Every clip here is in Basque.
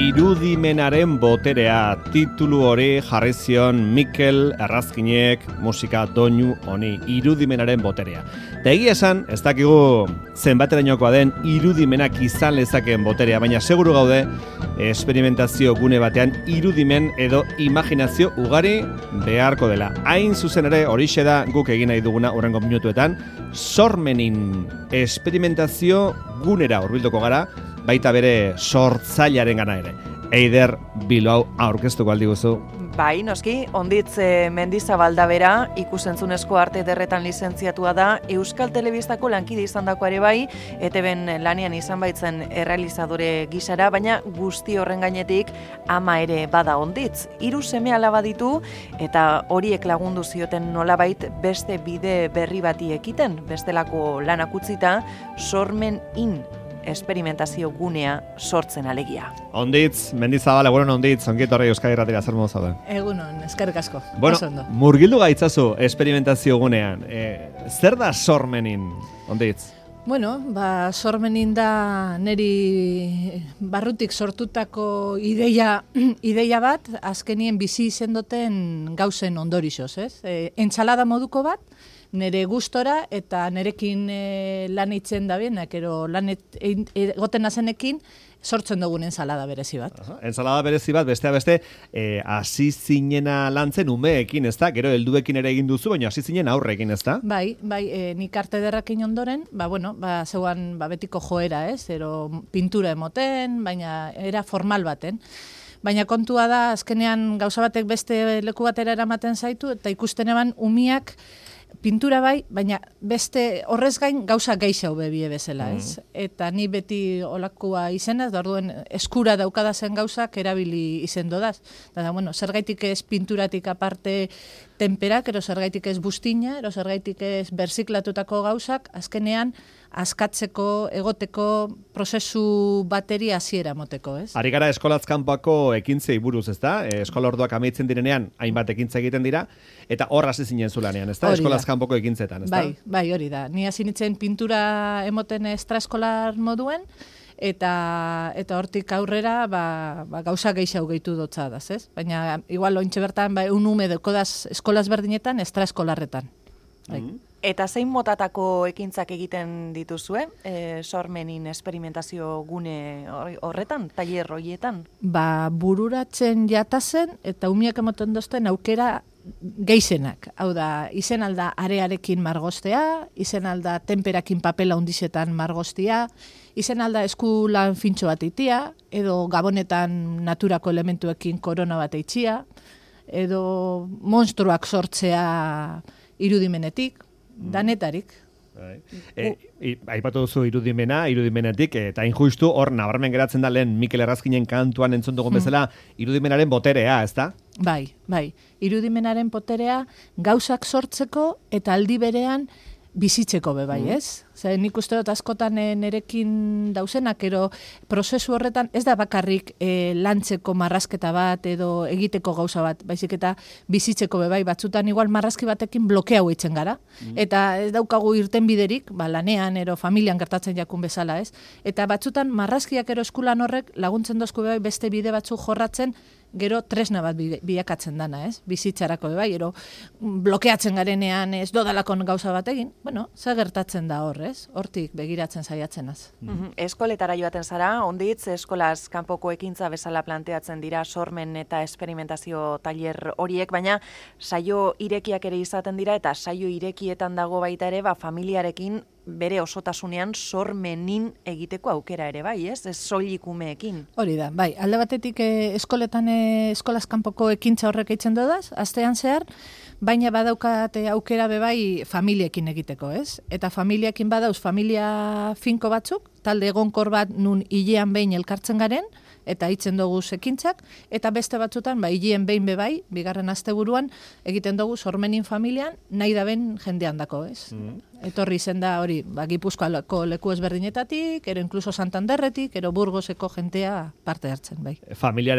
Irudimenaren boterea titulu hori jarri zion Mikel Errazkinek musika doinu honi, irudimenaren boterea. Da egia esan, ez dakigu zenbaterainokoa den irudimenak izan lezakeen boterea, baina seguru gaude esperimentazio gune batean irudimen edo imaginazio ugari beharko dela. Hain zuzen ere horixe da guk egin nahi duguna hurrengo minutuetan, sormenin esperimentazio gunera hurbilduko gara, baita bere sortzailearen gana ere. Eider Bilbao aurkeztuko aldi guzu. Bai, noski, Onditz Mendizabalda bera, ikusentzunezko arte ederretan lizentziatua da, Euskal Telebistako lankide izan dako ere bai, ETB-en lanean izan baitzen errealizadore gisara, baina guzti horren gainetik ama ere bada Onditz. 3 seme alaba ditu, eta horiek lagundu zioten nolabait beste bide berri bati ekiten, bestelako lanak utzita, sormen esperimentazio gunea sortzen alegia. Onditz, Mendizabal, egunon Onditz, ongiet horrei Euskadi Irratira zer modu zaude? Egunon, eskerrik asko. Bueno, murgildu gaitzazu esperimentazio gunean. Zer da sormenin, Onditz? Bueno, sormenin da neri barrutik sortutako ideia bat, azkenien bizi izendoten gauzen ondorixoz, ez? Entsalada moduko bat, nere gustora eta nerekin lan eitzen da bienak, ero lan egoten nazenekin sortzen dugun ensalada berezi bat. Ensalada berezi bat, besteak beste, hasi zinena lantzen umeekin, ez da? Gero helduekin ere egin duzu, baina hasi zinen aurrekin, ez da? Bai, nik arte derrakin ondoren, zeuan betiko joera, ez? Ero pintura emoten, baina era formal baten. Baina kontua da, azkenean gauza batek beste leku batera eramaten zaitu, eta ikusten eban umiak pintura bai, baina beste horrez gain gauza geixau bebie bezala, ez? Eta ni beti olakua izenaz, da orduen eskura daukadazen gauzak erabili izen dodaz. Da, bueno, zergaitik ez pinturatik aparte temperak, ero zergaitik ez bustina, ero zergaitik ez berziklatutako gauzak, azkenean askatzeko, egoteko prozesu bateri hasiera moteko, ez? Ari gara eskolazkanpako ekintzei buruz, ez da? Eskola orduak amaitzen direnean, hainbat ekintza egiten dira, eta hor hasi zinen zulanean, ez da? Eskolazkanpoko ekintzetan, ez da? Bai, hori da. Ni hasi nintzen pintura emoten extraeskolar moduen, eta hortik aurrera gauza geixau gehitu dotza daz, ez? Baina, igual, ointxe bertan, un ume dekodaz eskolaz berdinetan, extraeskolarretan. Bai. Eta zein motatako ekintzak egiten dituzue, sormenin esperimentazio gune horretan, tailer horietan? Bururatzen jatazen eta umiak emoten dozten aukera geizenak. Hau da, izen alda arearekin margostea, izen alda temperakin papela undizetan margostea, izen alda eskulan fintxo bat eitia, edo gabonetan naturako elementuekin korona bat eitxia, edo monstruak sortzea irudimenetik, danetarik. Aipatu duzu irudimenetik, eta injustu hor nabarmen geratzen da lehen Mikel Errazkinen kantuan entzun dugun bezala irudimenaren boterea, ez da? Bai, irudimenaren boterea gauzak sortzeko eta aldi berean bizitzeko bai, ez? Nik uste dut askotan nerekin dauzenak, ero prozesu horretan ez da bakarrik lantzeko marrazketa bat edo egiteko gauza bat, baizik eta bizitzeko bai, batzutan igual marrazki batekin blokea huitzen gara, eta ez daukagu irten biderik, lanean ero familian gertatzen jakun bezala, ez? Eta batzutan marrazkiak ero eskulan horrek laguntzen dozku bai beste bide batzu jorratzen, gero tresna bat bilakatzen dana, ez? Bizitzarako bai, ero blokeatzen garenean ez dodalakon gauza bat egin, zer gertatzen da hor, ez? Hortik begiratzen saiatzenaz. Eskoletara joaten zara, Onditz, eskolaz kanpoko ekintza bezala planteatzen dira sormen eta esperimentazio tailer horiek, baina saio irekiak ere izaten dira, eta saio irekietan dago baita ere, familiarekin bere osotasunean sormenin egiteko aukera ere bai, ez? Ez soilik umeekin. Hori da, bai. Alde batetik eskoletan eskolaz kanpoko ekintza horrek eitzen dodaz, astean zehar, baina badaukate aukera bebai familiekin egiteko, ez? Eta familiekin badauz familia finko batzuk, talde egonkor bat nun hilean behin elkartzen garen, eta hitzen dugu ekintzak, eta beste batzutan, hilean behin bebai, bigarren asteburuan, egiten dugu sormenin familian, nahi da ben jendean dako, ez? etorri zen da hori, Gipuzkoako leku ezberdinetatik, ero inkluso Santanderretik, ero Burgoseko jentea parte hartzen, bai. Familia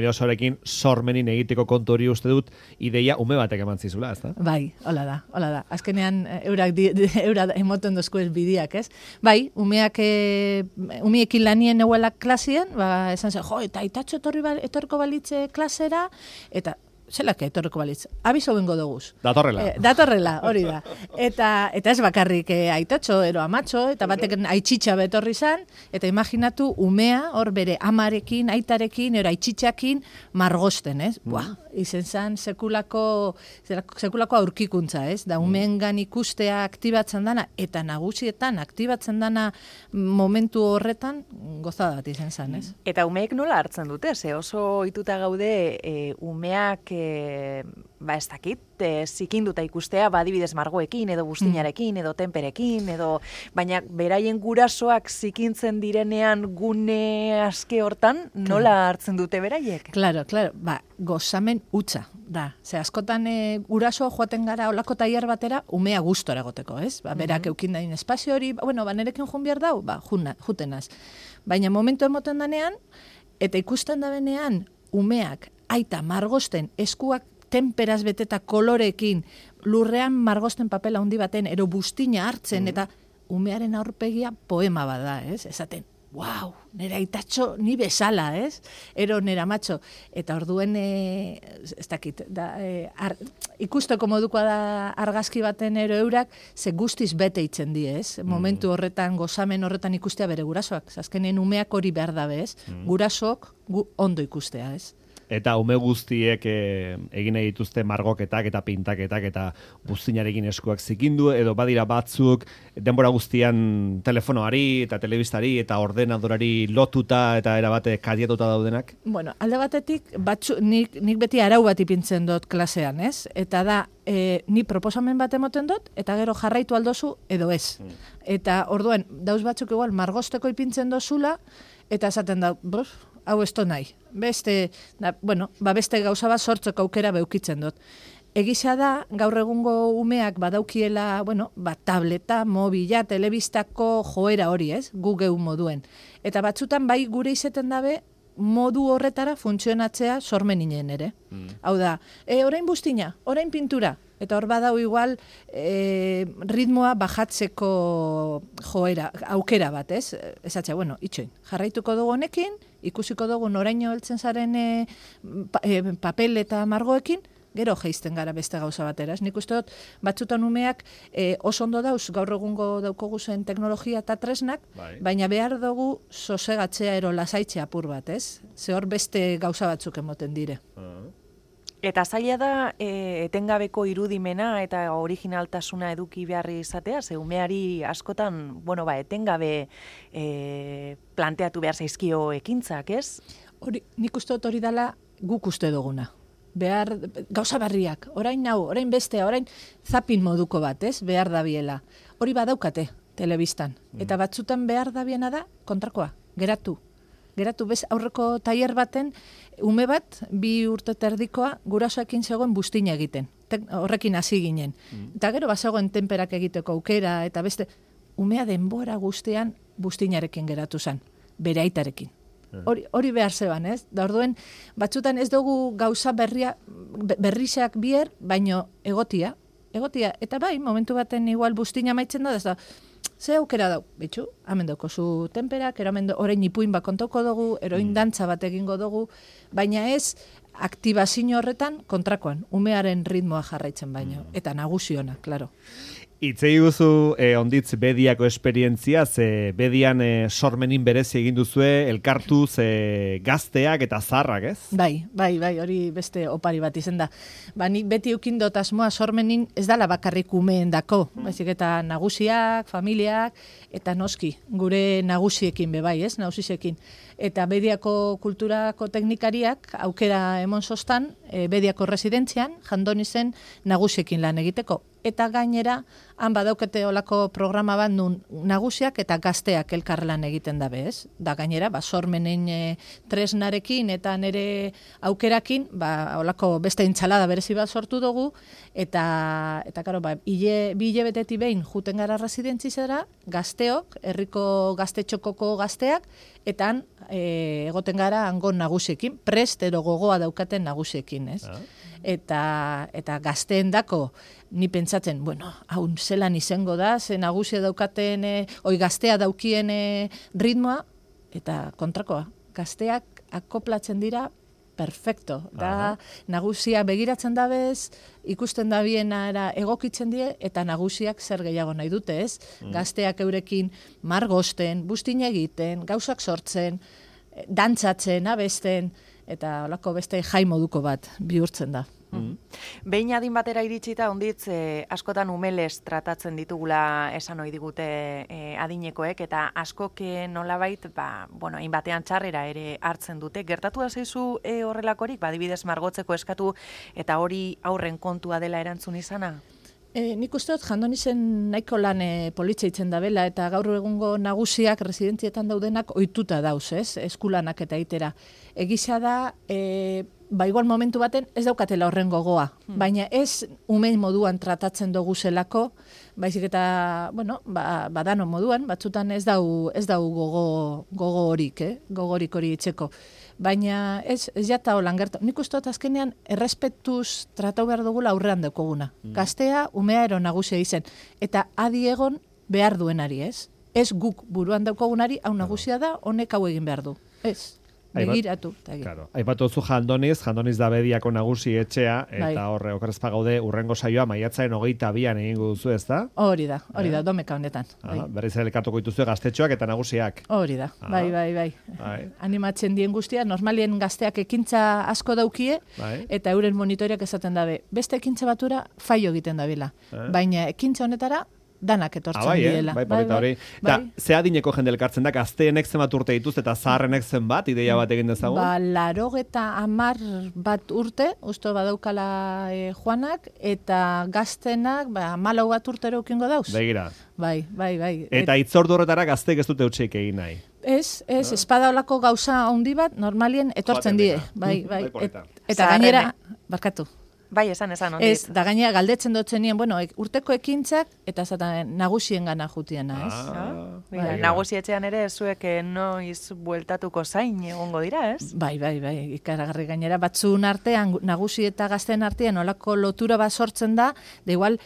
osoarekin sormenin egiteko kontu hori uste dut, ideia ume batek eman zizula, ez da? Bai, hola da. Azkenean, eurak emoten dozko ez bidiak, ez? Bai, umiekin lanien neuela klasien, esan zen, eta aitatxo etorriko balitze klasera, eta zelak etorriko balitz, abizo bengo doguz. Datorrela, hori da. Eta ez bakarrik aitatxo, ero amatxo, eta batek aitxitxa betorri zan, eta imaginatu umea, hor bere amarekin, aitarekin, ero aitxitxakin, margosten, ez? Izen zan sekulako aurkikuntza, ez? Da umeengan ikustea aktibatzen dana, eta nagusietan aktibatzen dana momentu horretan, gozada bat izen zan, ez? Eta umeek nola hartzen dute, ze oso ituta gaude umeak ez dakit, zikinduta ikustea, adibidez margoekin, edo bustinarekin, edo tenperekin, baina beraien gurasoak zikintzen direnean gune aske hortan, nola hartzen dute beraiek? Claro, gozamen utza da. Ze askotan guraso joaten gara olako tailer batera, umea gustora egoteko, ez? Berak eukin dain espazio hori, nerekin jun behar dau, jutenaz. Baina momentu emoten danean, eta ikusten da benean, umeak aita margosten eskuak temperaz beteta kolorekin, lurrean margosten papela handi baten, ero bustina hartzen, eta umearen aurpegia poema bada, ez? Esaten, wow, nera aitatxo ni bezala, ez? Ero nera matxo. Eta orduen, ez dakit, ikusteko modukoa da argazki baten ero eurak, ze guztiz bete itzen di, ez? Momentu horretan, gozamen horretan ikustea bere gurasoak. Azkenen umeak hori behar dabe, ez? Gurasok ondo ikustea, ez? Eta ume guztiek egin dituzte margoketak eta pintaketak eta buztinarekin eskuak zikindu, edo badira batzuk denbora guztian telefonoari eta telebistari eta ordenadorari lotuta eta erabate kadiatuta daudenak? Bueno, alde batetik, nik beti arau bat ipintzen dut klasean, ez? Eta da, ni proposamen bat emoten dut, eta gero jarraitu aldozu edo ez. Eta orduan, dauz batzuk igual margosteko ipintzen dozula, eta esaten da, hau esto nahi. Beste gauza bat sortzeko aukera beukitzen dut. Egisa da, gaur egungo umeak badaukiela, tableta, mobila, telebistako joera hori, ez? Gu geu moduen. Eta batzutan bai gure izeten dabe, modu horretara funtzionatzea sormeninen ere. Hau da, orain buztina, orain pintura. Eta hor badau igual ritmoa bajatzeko joera, aukera bat, ez? Esatzea, itxoin, jarraituko dugu honekin, ikusiko dugu noraino heltzen zaren papel eta margoekin, gero geizten gara beste gauza batera. Nik uste dut, batzutan umeak oso ondo dauz, gaur egungo daukogu zen teknologia eta tresnak, baina behar dugu sosegatzea ero lasaitzea apur bat, ez? Ze hor beste gauza batzuk emoten dire. Eta zaila da etengabeko irudimena eta originaltasuna eduki beharri izatea, ze umeari askotan, etengabe planteatu behar zaizkio ekintzak, ez? Nik uste dut hori dela guk uste duguna. Gauza berriak, orain bestea, orain zapin moduko bat, ez? Behar dabiela. Hori badaukate telebistan. Eta batzutan behar dabiena da kontrakoa, geratu bez aurreko tailer baten, ume bat, 2 urte terdikoa, gurasoekin zegoen buztina egiten. Horrekin hasi ginen. Eta gero bazegoen tenperak egiteko aukera, eta beste, umea denbora guztian buztinarekin geratu zen, bere aitarekin. Hori behar zeban, ez? Da orduen, batzutan ez dugu gauza berriak bier, baino egotia. Eta bai, momentu baten igual buztina maitzen da, ez da, ze aukera dau, bitxu, hamen daukozu tenperak, orain ipuin bat kontoko dugu, eroin dantza bat egingo dugu, baina ez aktibazio horretan kontrakoan, umearen ritmoa jarraitzen baino, eta nagusiona, klaro. Itzei guzu onditz bediako esperientzia, ze bedian sormenin berezi egin duzue, elkartuz gazteak eta zarrak, ez? Bai, hori beste opari bat izen da. Nik beti eukin dut asmoa sormenin ez dala bakarrik umeen dako, baizik eta nagusiak, familiak, eta noski, gure nagusiekin bebai, ez? Nagusiekin. eta Bediako kulturako teknikariak aukera emon sostan, Bediako residentzian, Jandonizen nagusiekin lan egiteko. Eta gainera, han badaukete olako programa bat nun nagusiak eta gazteak elkarlan egiten dabe, ez? Da gainera, sormenen tresnarekin eta nere aukerakin, olako beste intxalada berezi bat sortu dugu, eta karo, bi hilabeteti behin juten gara residentzizera, gazteok, herriko gaztetxokoko gazteak, eta han egoten gara hangon nagusiekin, prest edo gogoa daukaten nagusiekin, ez? Eta gazteen dako, ni pentsatzen, hau zelan izango da, ze nagusia daukaten, gaztea daukien ritmoa, eta kontrakoa, gazteak akoplatzen dira perfecto. Da, nagusia begiratzen dabez, ikusten da biena egokitzen die, eta nagusiak zer gehiago nahi dute, ez? Gazteak eurekin margosten, bustin egiten, gauzak sortzen, dantzatzen, abesten, eta olako beste jai moduko bat bihurtzen da. Behin adin batera iritsita, onditz, askotan umeles tratatzen ditugula esan ohi digute adinekoek, eta askok nolabait, hainbatean txarrera ere hartzen dute. Gertatu da zaizu horrelakorik, adibidez margotzeko eskatu, eta hori aurren kontua dela erantzun izana? Nik uste dut Jandonizen nahiko lan politxa itzen dabela, eta gaur egungo nagusiak residentzietan daudenak ohituta dauz, ez? Eskulanak eta itera. Egisa da, igual momentu baten ez daukatela horren gogoa, baina ez umein moduan tratatzen dugu zelako, baizik eta, badano moduan, batzutan ez dau gogo horik, gogorik hori itxeko. Baina ez jata holan gertu. Nik uste dut azkenean errespetuz tratau behar dugula aurrean daukoguna. Gaztea, umea ero nagusia izen. Eta adi egon behar duenari, ez? Ez guk buruan daukogunari, hau nagusia da, honek hau egin behar du. Ez. Begiratu. Aipatu zu Jandoniz da Bediako nagusi etxea, eta horre okerrezpa gaude urrengo saioa maiatzaren 22an egingo duzu, ez da? Hori da, domeka honetan. Berriz elkartuko dituzue gaztetxoak eta nagusiak. Hori da, bai. Animatzen dien guztia, normalien gazteak ekintza asko daukie, eta euren monitoreak esaten dabe. Beste ekintza batura faio egiten dabila, baina ekintza honetara danak etortzen diela. Hori. Ze adineko jende elkartzen da, gazteenek zenbat urte dituzte eta zaharrenek zenbat, ideia bat egin dezagun? 80 bat urte, usto badaukala Juanak, eta gaztenak 14 bat urtero ukingo dauz. Begira. Bai. Eta itzordu horretara gazteek ez dute utxeik egin nahi. Ez, espada olako gauza handi bat, normalien etortzen die. Bai. Eta gainera, barkatu. Bai, esan, ondit. Ez, da gainera galdetzen dutzen nien, urteko ekintzak, eta zaten nagusien gana jutiena, ez? Nagusietxean ere, zuek noiz bueltatuko zain egongo dira, ez? Bai, ikaragarri gainera, batzun artean, nagusi eta gazten artean, olako lotura bat sortzen da, da igual,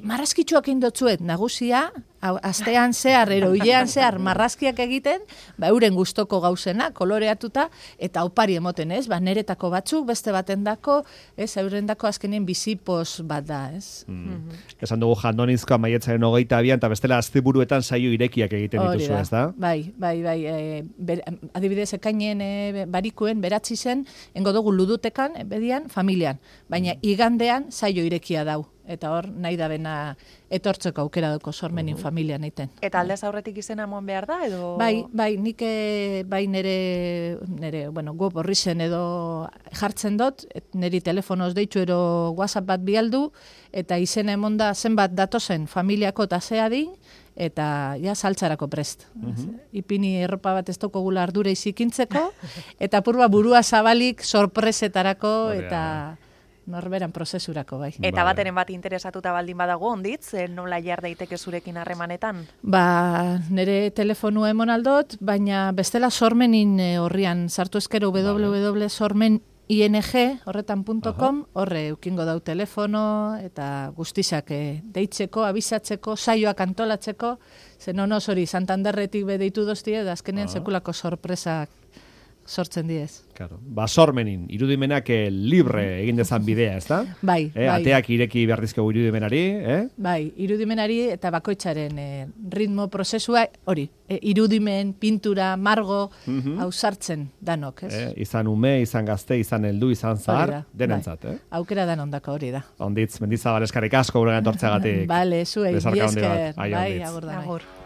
marrazkitxuak indotzuet, nagusia, astean zehar, hilean zehar, marrazkiak egiten, euren gustoko gauzena, koloreatuta, eta opari emoten, ez? Neretako batzuk, beste baten dako, ez? Eurendako azkenien bizipos bat da, ez? Esan dugu Jandonizkoa maiatzaren 22an, eta bestela asteburuetan saio irekiak egiten dituzu, ez da? Bai. Adibidez, ekainen barikuen, beratzi zen, engo dugu ludutekan, Bedian, familian. Baina igandean saio irekia dau. Eta hor, nahi da bena etortzeko aukera duko sormenin familian egiten. Eta aldez aurretik izena eman behar da, edo? Bai, nik nire web horri zen edo jartzen dut, niri telefonoz deitu ero WhatsApp bat bialdu, eta izen emon da zenbat datozen familiako eta zeadin, eta saltzarako prest. Ipini erropa bat ez toko gula ardure izikintzeko, eta purba burua zabalik sorpresetarako, eta norberan prozesurako, bai. Eta bateren bat interesatuta baldin badago, onditz, nola jar daiteke zurekin harremanetan? Nire telefonua emon aldot, baina bestela sormenin horrian sartu eskero www.sormening horretan.com, horre eukingo dau telefono, eta guztizak deitzeko, abisatzeko, saioak antolatzeko, zen onoz hori Santanderretik bedeitu doztie, da azkenean sekulako sorpresak sortzen diez. Claro. Sormenin, irudimenak libre egin dezan bidea, ez da? Bai. Ateak ireki behar dizkegu irudimenari, Bai, irudimenari eta bakoitzaren ritmo prozesua, hori, irudimen, pintura, margo, hau sartzen danok, ez? Izan ume, izan gazte, izan heldu, izan zahar, denentzat, Aukera dan ondako hori da. Onditz, Mendizabal eskarrik asko guregan tortzeagatik. Bale, zuei, esker. Bai, agur.